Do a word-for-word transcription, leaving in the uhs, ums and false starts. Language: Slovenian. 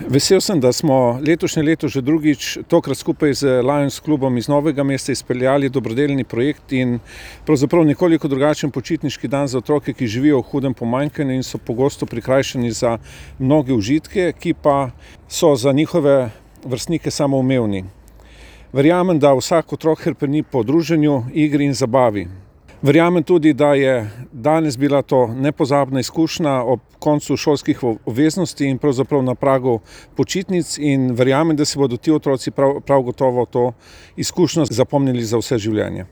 Vesel sem, da smo letošnje leto že drugič, tokrat skupaj z Lions klubom iz Novega mesta izpeljali dobrodelni projekt in pravzaprav nekoliko drugačen počitniški dan za otroke, ki živijo v hudem pomanjkanju in so pogosto prikrajšani za mnoge užitke, ki pa so za njihove vrstnike samoumevni. Verjamem, da vsak otrok hrepeni po druženju, igri in zabavi. Verjamem tudi, da je danes bila to nepozabna izkušnja ob koncu šolskih obveznosti in pravzaprav na pragu počitnic in verjamem, da si bodo ti otroci prav, prav gotovo to izkušnjo zapomnili za vse življenje.